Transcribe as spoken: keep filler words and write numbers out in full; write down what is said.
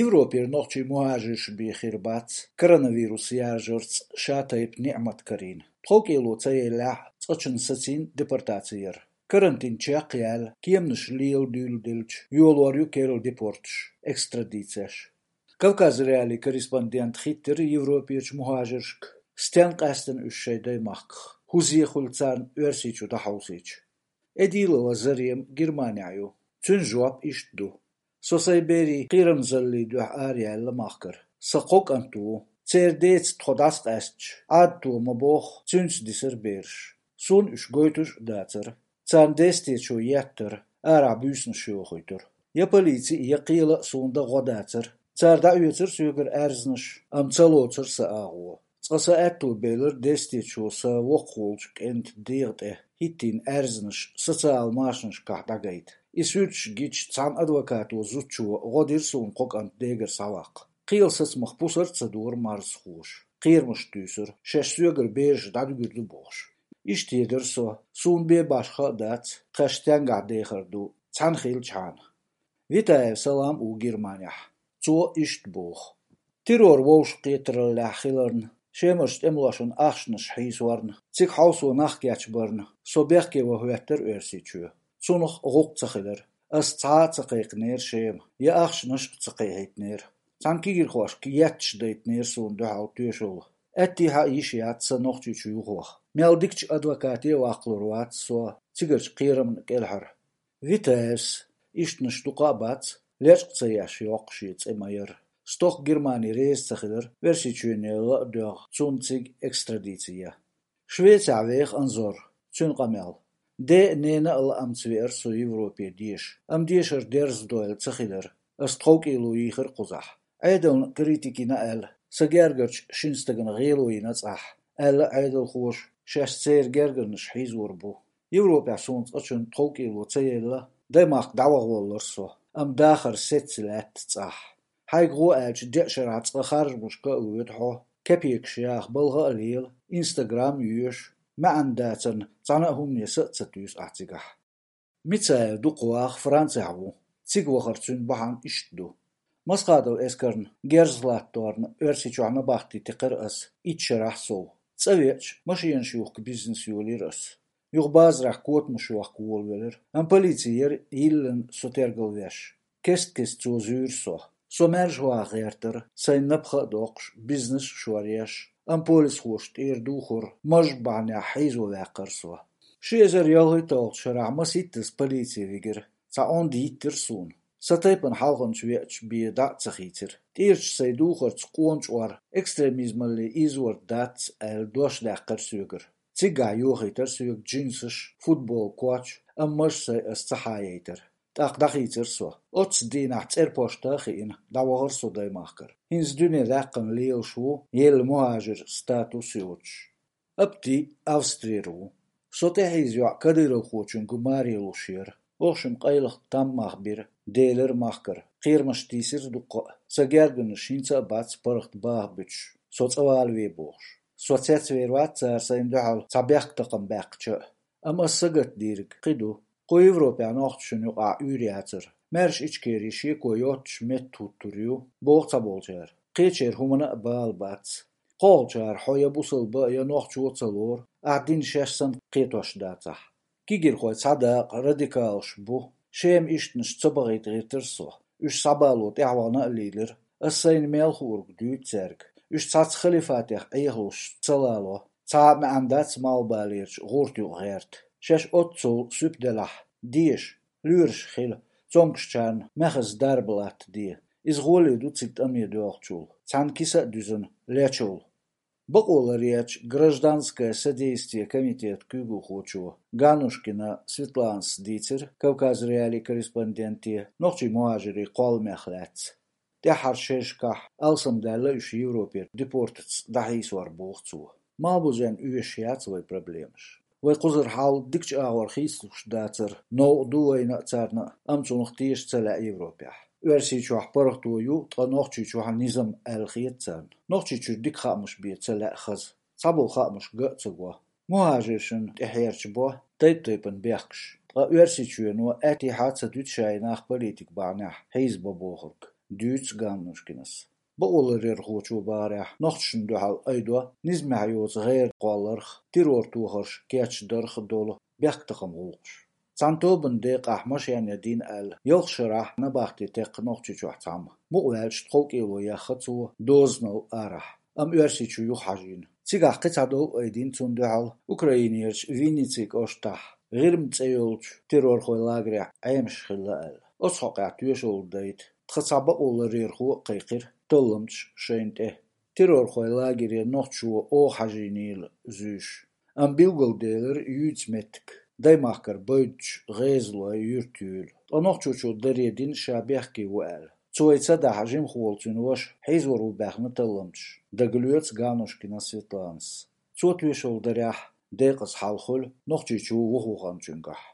Европера нохчий мухӀажирш бен хир бац коронавирус яржарца шатайпа ниӀмат карийна. ТховкӀело ца еллехь, цкъачунна сацийна депортаци яр. Карантин чекхъяьлла, кеманаш лела дуьйладелча, йолор ю керла депорташ, экстрадицеш. Кавказ.Реалии корреспондента хиттира Европерчу мухӀажиршка, стенна къаьстина уьш шайн даймахках, хӀун зе хуьлу царна Оьрсийчу дӀахьовсийча. Эдилова Зарема Германехь ю. Цуьнан жоп иштта ду: «Со сайн берийн кхерамзаллин дуьхьа араяьлла махкара. Сан кхо кӀант ву. Церан деца тхо дӀасакъаьстича, Ӏадато ма боху, цуьнца дисара бераш. Суна уьш гойтуш а дацара. Царна дестечо еттара, арахь буьйсанаш йохуьйтура. Я полици, я кхела а суна дан гӀо дацара. Цара дӀаоьцура соьгара аьрзнаш, амма ца лоцура сан агӀо. Цкъа сан аьтто белира дестечо сан воккхаволчу кӀентан дегӀа тӀе хӀиттийна аьрзнаш социал машанашкахь дӀагайта. И суьрташ гича, цхьана адвокато зудчо гӀо дира суна кхо кӀант дегара схьаваккха. Кхелан сацамах пусар а ца дора марзхоша. Кхерамаш туьйсура, шаьш соьгара бераш дӀадуьгур ду бохуш. Иштта едара со, суна бен башха а дац, тхаьш стенгахь дехар ду, цхьаьна хилчхьана». Витаев Салам ву Германехь. Цо иштта боху: «Террор вовшахкхетараллехь хиларна, Шемарчу тӀемалошна ахчанаш хьийсорна, цига хьовсо нах кечбарна, со бехке ван хӀоьттира Оьрсийчоь. Цунах гӀуллакх ца хилира. Ас цхьа а ца кхайкхинера Шема, я ахчанаш а ца кхехьийтинера. Цхьана кегийрхошка етташ дайтинера суна дуьхьал тоьшалла. Аьттехьа а йиш яц сан Нохчийчу юхаваха. Мел дикачу адвокате а ваккхалур вац со цигарчу кхерамна кӀелхьара». Витаевс: «Ишттанаш дукха а бац, лечкъа ца еш йоккху шен цӀе ма-ярра. Стохка Германи реза ца хилира, Оьрсийчоьне ла а доьгӀна, цунна цига экстрадици ян. Швецехь веха Анзор, цуьнан къамел. Ден а, ненан а лаамца веара со Европе деша, амма дешар дерза дойла ца хилира. Ас тховкӀело йийхира кхузахь. Ӏедална критика йина аьлла, сан гергарчу шина стагана гӀело йина цӀахь», — аьлла Ӏедалхоша, шаьш церан гергарнаш хьийзор бу. Европехь суна цкъачунна тховкӀело ца елла, даймахка дӀаваха воллура со, амма дахар сецца лаьтта цӀахь. Хьайга гӀо аьлча, деа шарахь цкъа харжамашка а воьду хьо, кепекаш яха балха а лела, Инстаграм а йоьшу, маьӀна дацарна цхьана а хӀумане са а ца туьйсу ахь цигахь. Мицаев Дукхаваха Францехь ву. Цига вахар цуьнан бахьана иштта ду. Масхадов Эскарна герз латторна Оьрсийчохь набахти текхира ас итт шарахь сов. ЦӀа веача, машенаш юхку бизнес йолийра ас. Юха базарахь котамаш йохка волавелира, амма полици яра йиллина со тергалвеш. Кест-кеста цо зуьйра со. Со маьрша ваха гӀертара, сайн напха а доккхуш, бизнес а шоръеш, амма полисхоша тӀера духура, маж бахьанехь хьийзо ваьккхира со. Ши эзар ялхитталгӀачу шарахь масийттаза полици вигира, цхьа онда йиттира суна. Сан тайпана хьалханчу веача бен дӀа а ца хийцира. ТӀерачу сайн духарца къона чкъор экстремизмалле ийзорг дац аьлла дош даьккхира соьгара. Цигахь йохийтара соьга джинсаш, футбол, коч, амма маж сайн ас ца хьаяйтара. ТӀаккха дӀахийцира со. Оццу дийнахь цӀерпошта а хиъна, дӀавахара со даймахкара. ХӀинца дуьне даьккхина лелаш ву, елла мухӀажир статус йоцуш. Апти Австрера ву. Со тӀехьийза йоӀ кадыровхочуьнга маре луш яра. Оха шимма къайлаха там мах бира, делира махкара. Кхерамаш тийсира дуккха а. Сан гергарнаш хӀинца а бац паргӀат баха буьтуш, со цӀа вала ве бохуш. Со цецвер вац цара сайна дуьхьал цхьа бехктакхам баьккхича а. Амма ас сагатдийриг кхин ду. Кху Европехь нохчашна юкъахь уьйр яцара. Маьрша Ичкери шеко йоццуш метта хӀуттур ю, боху цхьаболчара. Кхечеран хӀуманна а бала бац. КхоалгӀачара хьо я бусалба а, я нохчо а ца лору, ахь дин шаьш санна кхетош дацахь. Кегийрхой цхьа дакъа радикалаш бу. Шема ишттанаш ца бахийта гӀиртира со. Уьш схьабало тӀаьхьавахана а лийлира. Ас сайна мел хуург дуьйцу цаьрга. Уьш цхьацца халифатех Ӏехалуш ца лало. Цхьа а маьӀна дац малхбалерчу гӀурта юкъа гӀерта. Шаьш оццул суьпа делахь, деша, лоьраш хила, цомгушчарна маьхаза дарба латтаде. Иза гӀоле ду цига тӀаме доьлхучул, цхьана киса а дуьзна, лечул. Бакъо ларъечу гражданское содействие комитетан куьйгалхочо Ганушкина Светланас дийцира Кавказ.Реалии корреспонденте нохчийн мухӀажирийн кхолламех лаьцна. ТӀаьххьара шерашкахь алсамдаьлла уьш Европера депортаца дӀахьийсор, боху цо. Малхбузенна оьшуш яц вайн проблемаш. Вай кхузара хьал дикачу агӀор хийцалуш дацара, новкъа ду вайна а, царна а, амма цунах теша ца лаьа Европехь. Оьрсийчохь паргӀато ю, ткъа Нохчийчохь низам аьлла хета царна. Нохчийчуьра дика хаамаш бен ца лаьа хаза. Цхьаболу хаамаш ган а ца го. МухӀажиршна тӀехьерча бо тайп-тайпана бехкаш. Ткъа Оьрсийчоьно аьттехьа а ца дуьту шайн нах политика бахьанехь хьийзабан бохург. дуьйцу Ганнушкинас. Бакъоларъярхочо бахарехь, нохчашна дуьхьал айдо низамехь йоцу гӀайгӀа кхолларх, террор тохарш кечдарх долу бехктакхаман гӀуллакхаш. Цхьана тобанан декъахь машен ядийна аьлла, ялх шарахь набахте текхна Нохчийчохь цхьамма. Мукъаваьлча тховкӀело яьхна цо дозанал арахь, амма Оьрсийчу юха хьажийна. Цигахь кхин цхьа дов айдина цунна дуьхьал Украинерчу Винници кӀоштахь, ГӀирма цӀе йолчу террорхойн лагерехь Ӏемаш хилла аьлла. Оцу хьокъехь тоьшалла дайта тхан цхьа бакъоларъярхо а кхайкхира талламчаш шайна тӀе. Террорхойн лагере нохчо оха хьажийнийла зуьйш. Амма билгалделира юьйцу меттиг, даймахкара байдачу ГӀезалойн юьртан юьла. Ткъа нохчочо даре дина ша бехке ву аьлла. Цо и ца дахь, жимахволу цуьнан ваша хьийзор ву баьхна талламчаш, дагалоьцу Ганнушкина Светланас. Цо тоьшалла дарехь, декъаза хьал хуьлу Нохчийчу вухаваханчуьнгахь.